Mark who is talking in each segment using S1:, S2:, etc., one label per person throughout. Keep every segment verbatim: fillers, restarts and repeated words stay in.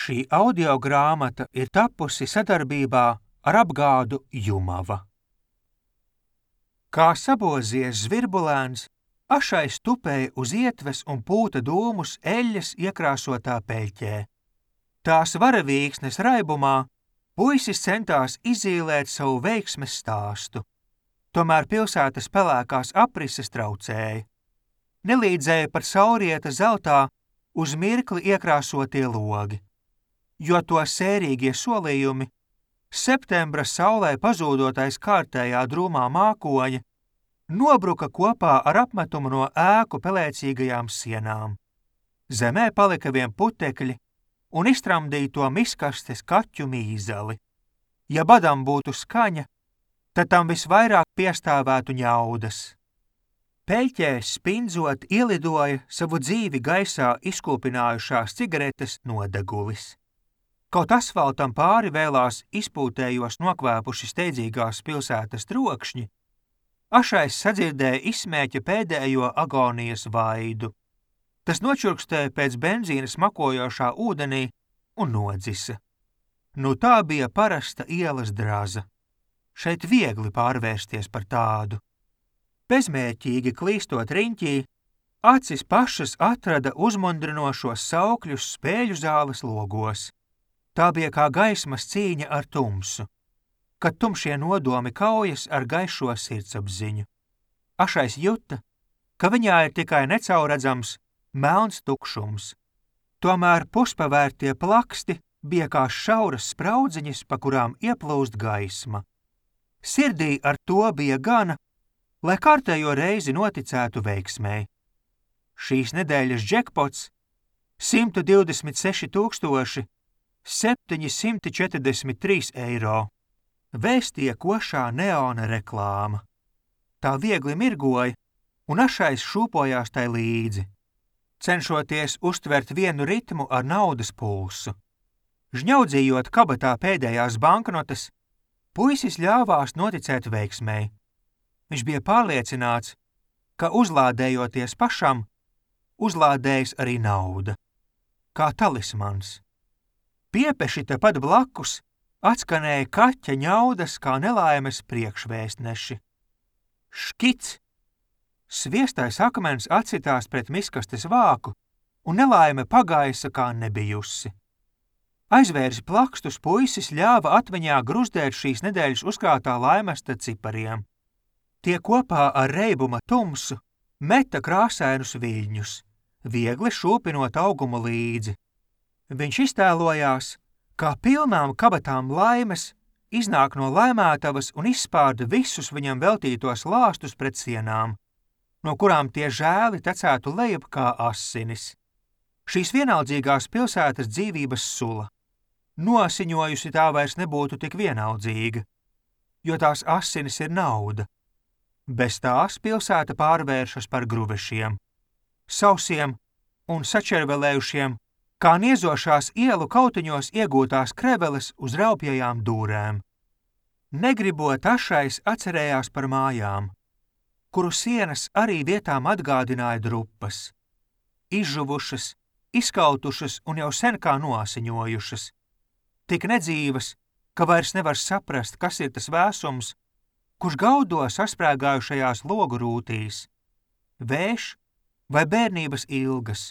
S1: Šī audiogrāmata ir tapusi sadarbībā ar apgādu Jumava. Kā sabozies zvirbulēns, ašais tupēja uz ietves un pūta dūmus eļļas iekrāsotā peļķē. Tās varavīksnes raibumā puisis centās izīlēt savu veiksmes stāstu. Tomēr pilsētas pelēkās aprises traucēja. Nelīdzēja par saurieta zeltā uz mirkli iekrāsotie logi, jo to sērīgie solījumi septembra saulē pazūdotais kārtējā drūmā mākoņa nobruka kopā ar apmetumu no ēku pelēcīgajām sienām. Zemē palika vien putekļi un iztramdīto miskastes kaķu mīzeli. Ja badam būtu skaņa, tad tam visvairāk piestāvētu ņaudas. Peļķē spindzot ielidoja savu dzīvi gaisā izkūpinājušās cigaretes nodegulis. Kaut asfaltam pāri vēlās izpūtējos nokvēpuši steidzīgās pilsētas trokšņi, ašais sadzirdēja izsmēķa pēdējo agonijas vaidu. Tas nočurkstēja pēc benzīna smakojošā ūdenī un nodzisa. Nu tā bija parasta ielas draza. Šeit viegli pārvērsties par tādu. Bezmērķīgi klīstot riņķī, acis pašas atrada uzmundrinošos saukļus spēļu zāles logos. Tā bija kā gaismas cīņa ar tumsu, kad tumšie nodomi kaujas ar gaišo sirdsapziņu. Ašais juta, ka viņā ir tikai necaurredzams melns tukšums. Tomēr puspavērtie plaksti bija kā šauras spraudziņas, pa kurām ieplūst gaisma. Sirdī ar to bija gana, lai kārtējo reizi noticētu veiksmei. Šīs nedēļas džekpots – simt divdesmit seši tūkstoši septiņi simti četrdesmit trīs eiro. Vēstīja košā neona reklāma. Tā viegli mirgoja, un ašais šūpojās tai līdzi, cenšoties uztvert vienu ritmu ar naudas pulsu. Žņaudzījot kabatā pēdējās banknotes, puisis ļāvās noticēt veiksmei. Viņš bija pārliecināts, ka uzlādējoties pašam, uzlādējas arī nauda, kā talismans. Piepeši tepat blakus atskanēja kaķa ņaudas kā nelaimes priekšvēstneši. Škic! Sviestais akmens atsitās pret miskastes vāku, un nelaime pagaisa kā nebijusi. Aizvērs plakstus puisis ļāva atmiņā gruzdēt šīs nedēļas uzkrātā laimesta cipariem. Tie kopā ar reibuma tumsu meta krāsainus viļņus, viegli šūpinot augumu līdzi. Viņš iztēlojās, kā pilnām kabatām laimes iznāk no laimētavas un izspārda visus viņam veltītos lāstus pret sienām, no kurām tie žēli tecētu lejup kā asinis. Šīs vienaldzīgās pilsētas dzīvības sula. Nosiņojusi tā vairs nebūtu tik vienaldzīga, jo tās asinis ir nauda. Bez tās pilsēta pārvēršas par gruvešiem, sausiem un sačervelējušiem, kā niezošās ielu kautiņos iegūtās kreveles uz raupjajām dūrēm. Negribot ašais atcerējās par mājām, kuru sienas arī vietām atgādināja drupas, izžuvušas, izkautušas un jau sen kā noasiņojušas, tik nedzīvas, ka vairs nevar saprast, kas ir tas vēsums, kurš gaudo sasprēgājušajās logu rūtīs, vējš vai bērnības ilgas,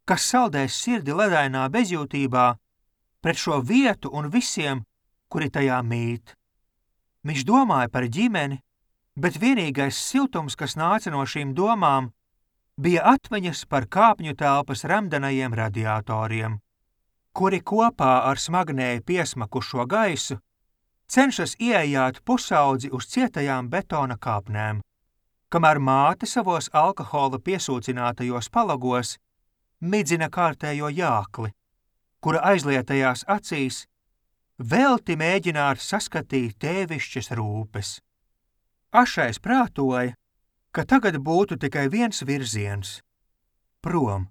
S1: kas saldēs sirdi ledainā bezjūtībā pret šo vietu un visiem, kuri tajā mīt. Viņš domāja par ģimeni, bet vienīgais siltums, kas nāca no šīm domām, bija atmiņas par kāpņu telpas remdenajiem radiatoriem, kuri kopā ar smagnēji piesmakušo gaisu cenšas ieejāt pusaudzi uz cietajām betona kāpnēm, kamēr māte savos alkohola piesūcinātajos palagos midzina kārtējo jākli, kura aizlietajās acīs velti mēģināt saskatīt tēvišķas rūpes. Ašais prātoja, ka tagad būtu tikai viens virziens – prom.